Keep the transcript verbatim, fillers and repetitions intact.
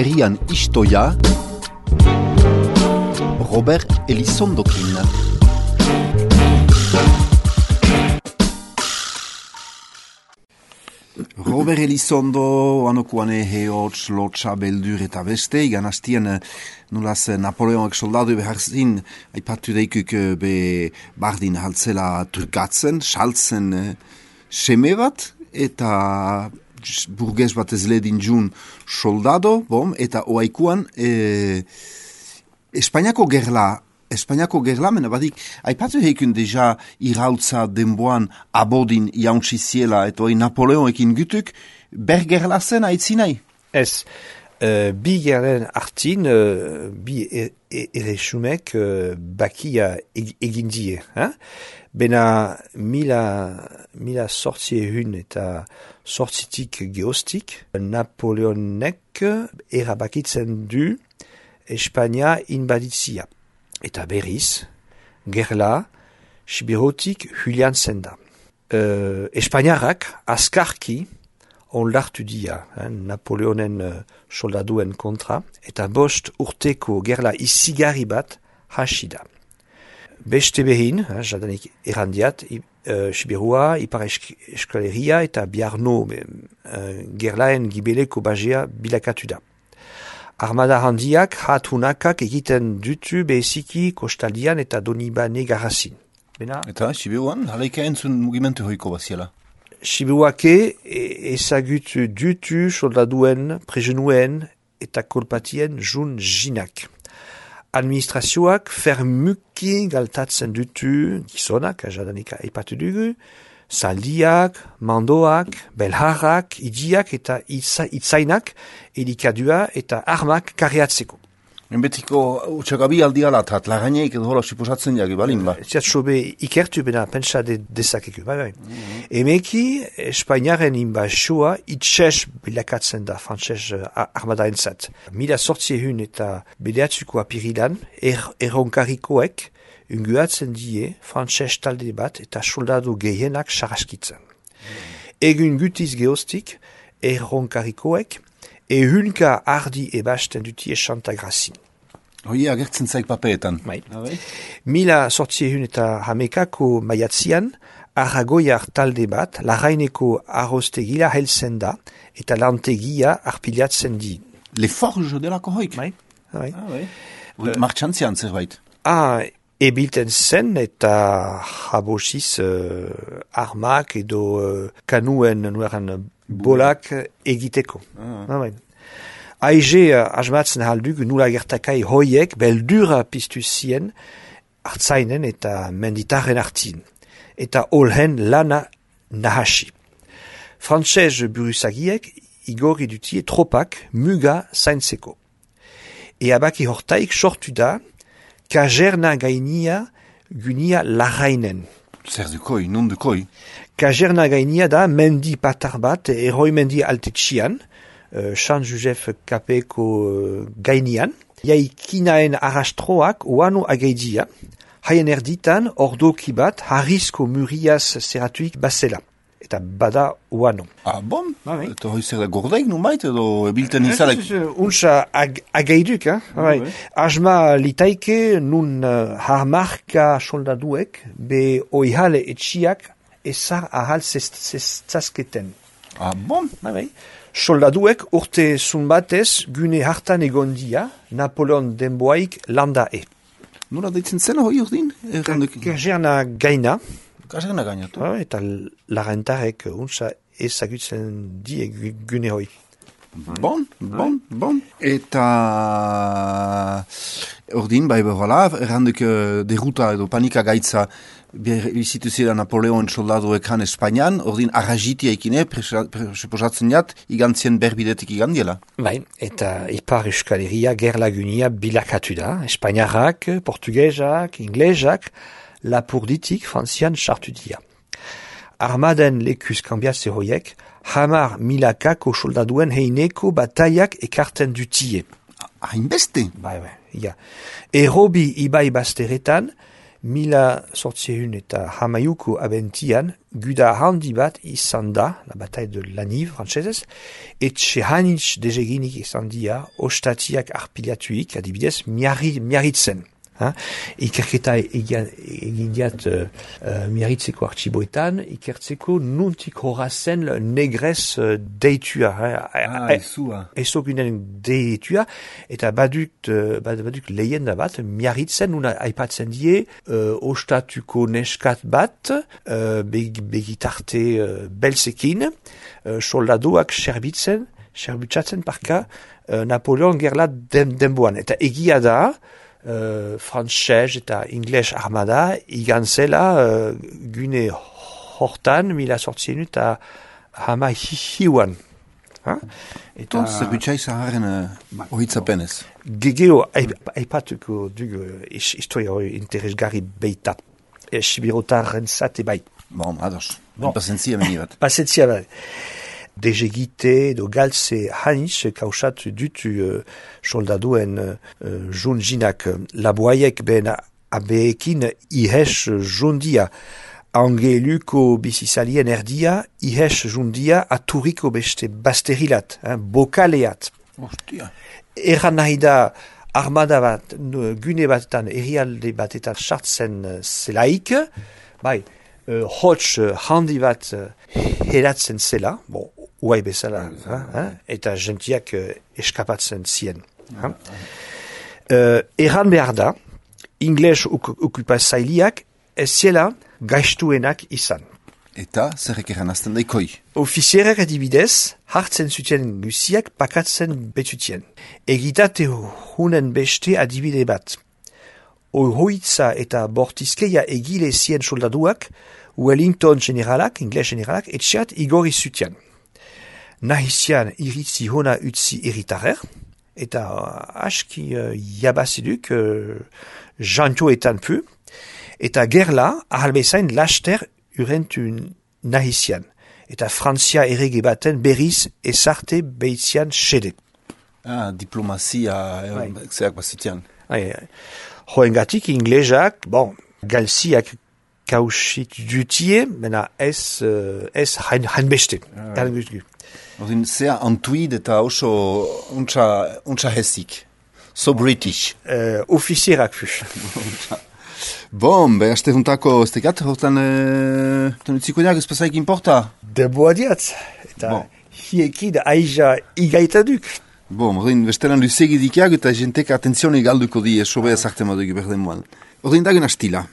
herrian istoia, Robert Elizondokin. Robert Elizondo, anokuane heotz, lotxa, beldur eta beste, igan hastien nulaz Napoleonek soldadu beharzin, aipatu deikuk be bardin haltzela turkatzen, saltzen seme bat, eta burgez bat ez ledin jun soldado, bom, eta oaikuan e, Espainiako gerla, Espainiako gerla, mena badik, aipatu heikun deja irautza denboan abodin jauntziziela, eta hoi Napoleonekin gutuk, ber gerla zen aitzinai? Ez, uh, bi gerlen hartin, uh, bi erresumek uh, bakia eg egin die. Hein? Bena mila, mila sortzi ehun eta sortzitik geostik, Napoleonek erabakitzen du Espainia inbaditzia. Eta berriz, gerla, Sibirotik Julian zenda. Uh, Espainiarrak askarki onlartu dia, hein, Napoleonen uh, soldaduen kontra, eta bost urteko gerla izigarri bat hasida. Beste behin, hein, jadanik errandiat, uh, Sibirua, Ipar Eskaleria eta Biarno uh, gerlaen gibeleko bagea bilakatu da. Armada handiak hatunakak egiten dutu beziki kostaldian eta Donibane garrazin. Bena? Eta Sibiruan, halaika entzun mugimentu hoiko baziela? Sibiruake ezagutu dutu soldaduen, prejenuen eta kolpatien jun jinak. Administrazioak fermuki galtatzen dutu gizonak, jadanika eipatu dugu, zaldiak, mandoak, belharrak, idiak eta itza, itzainak, elikadua eta armak karriatzeko. Enbetiko utxagabi aldialatat, lagaineik edo hola suposatzen jagi balin ba? Ziatxobe ikertu bena pentsa de, dezakeku, bai bai. Mm-hmm. Emeki, Espainiaren inbazioa itxez bilakatzen da frantzez armadaentzat. Mila sortzi ehun eta bederatzuko apirilan, er, erronkarikoek, unguatzen die frantzez talde bat eta soldadu gehienak saraskitzen. Mm. Egun gutiz geostik, erronkarikoek, ehunka ardi ebasten dutie Santagrazin. Hoi agertzen zaik papeetan. Bai. Mila sortzi ehun eta hamekako maiatzian, Aragoiar talde bat, Larraineko arroztegia helzen da, eta lantegia arpilatzen di. Le forge delako hoik? Bai. Bai. Ah, bai. Uh, Martxantzian zerbait? Ah, ebilten zen eta jabosiz uh, armak edo uh, kanuen nueran bolak egiteko. Ah. Ah, bai. Aize uh, asmatzen halduk nula gertakai hoiek beldura piztu zien hartzainen eta menditarren hartin. Eta olhen lana nahasi. Frantzez buruzagiek igorri dutie tropak muga zaintzeko. Eabaki hortaik sortu da Kajerna gainia gunia Larrainen. Zer dukoi, non dukoi? Kajerna gainia da mendi patar bat, eroi mendi altetxian, uh, San Josef kapeko uh, gainian. Jaikinaen arrastroak oano agaidia, haien erditan ordoki bat harrizko muriaz zeratuik basela. Eta bada oano. Ah, bon? Ah, oui. Eta hoi zer da gordeik numait edo ebilten izalek? Unsa ag agaiduk, eh? Ah, oui. Asma litaike nun uh, harmarka soldaduek be oihale etxiak ezar ahal zazketen. Ah, bon? Ah, oui. Soldaduek urte zunbatez gune hartan egondia Napoleon denboaik landa e. Nola deitzen zena hoi urdin? Kajerna gaina. Kajerna gainatu. Ah, eta larentarek unsa ezagutzen die gune hoi. Bon, bon, bon. Eta ordin, bai behola, erranduk deruta edo panika gaitza bizitu zira Napoleon soldaduek han Espainian, ordin arrajitia ikine, presuposatzen jat, igantzien berbidetik igandiela. Bai, eta Ipar Euskaleria gerlagunia bilakatu da, Espainiarrak, Portugesak, Inglesak, lapurditik frantzian sartu dia. Armaden lekuz kambiatze hoiek, hamar milakako soldaduen heineko bataiak ekarten dutie. Hainbeste? Bai, bai, ja. Errobi ibai bazteretan, mila sortziehun eta hamaiuko abentian, guda handi bat izan da, la bataille de Laniv, frantsesez, etxe hanitz dezeginik izan dia, ostatiak arpilatuik, adibidez, miarri, miarritzen. Ha? Ikerketa egin diat uh, uh, miarritzeko artxiboetan, ikertzeko nuntik horazen negrez uh, deitua. Ah, ezua. Ezokunen deitua, eta badut, uh, badut lehenda bat, miarritzen, nuna aipatzen die, uh, ostatuko neskat bat, uh, beg, begitarte uh, belzekin, uh, soldadoak serbitzen, serbitzatzen parka, uh, Napoleon gerla den, denboan. Eta egia da, Uh, frantses eta ingles armada igan zela uh, gune hortan mila sortziehun eta hama hiuan. Eta zerbitzai zaharen uh, ohitzapenez. Gegeo aipatuko dugu historia hori interesgarri beita. E, Sibirotaren zate bai. Bon, ados. Bon. Pasentzia meni bat. Pasentzia bai. Dezegite edo galtze haniz kausatu dutu uh, soldaduen uh, junjinak laboaiek ben abeekin ihes jundia. Angeluko bizizalien erdia ihes jundia aturiko beste basterilat, hein, bokaleat. Ostia. Erran nahi da armada bat, gune batetan, herrialde batetan sartzen uh, zelaik, bai, uh, hots uh, handi bat uh, heratzen zela, bon, uai bezala, ha, ha? Eta gentiak uh, eskapatzen zien. Ha? Uh, erran behar da, ingles okupazailiak ez ziela gaiztuenak izan. Eta zerrek erran azten daikoi? Ofizierak adibidez, hartzen zuten guziak pakatzen betutien. Egitate hunen beste adibide bat. Ohoitza eta bortizkeia egile zien soldaduak, Wellington generalak, ingles generalak, etxeat igorri zuten. Nahizian iritzi hona utzi eritarer, eta aski uh, jabaziduk uh, jantoetan pu, eta gerla ahalbezain laster urentu nahizian, eta Frantzia errege baten berriz ezarte beitzian xede. Ah, diplomazia, zeak bazitian. Hoengatik inglesak, bon, galziak kausit dutie, mena ez, uh, ez hain, hain beste. Ah, Ordin, zea antuid eta oso untsa, untsa hesik. So British. Uh, Ofizierak fu. Bon, be, aste juntako ez tekat, hortan uh, utziko diak, ez pasaik importa? Deboa diat. Eta bon. Hiekid aiza igaitaduk. Bon, ordin, bestelan luzegi dikiak eta jentek atentzioni galduko di, sobe ezarte madugi berden moan. Ordin, dagen astila.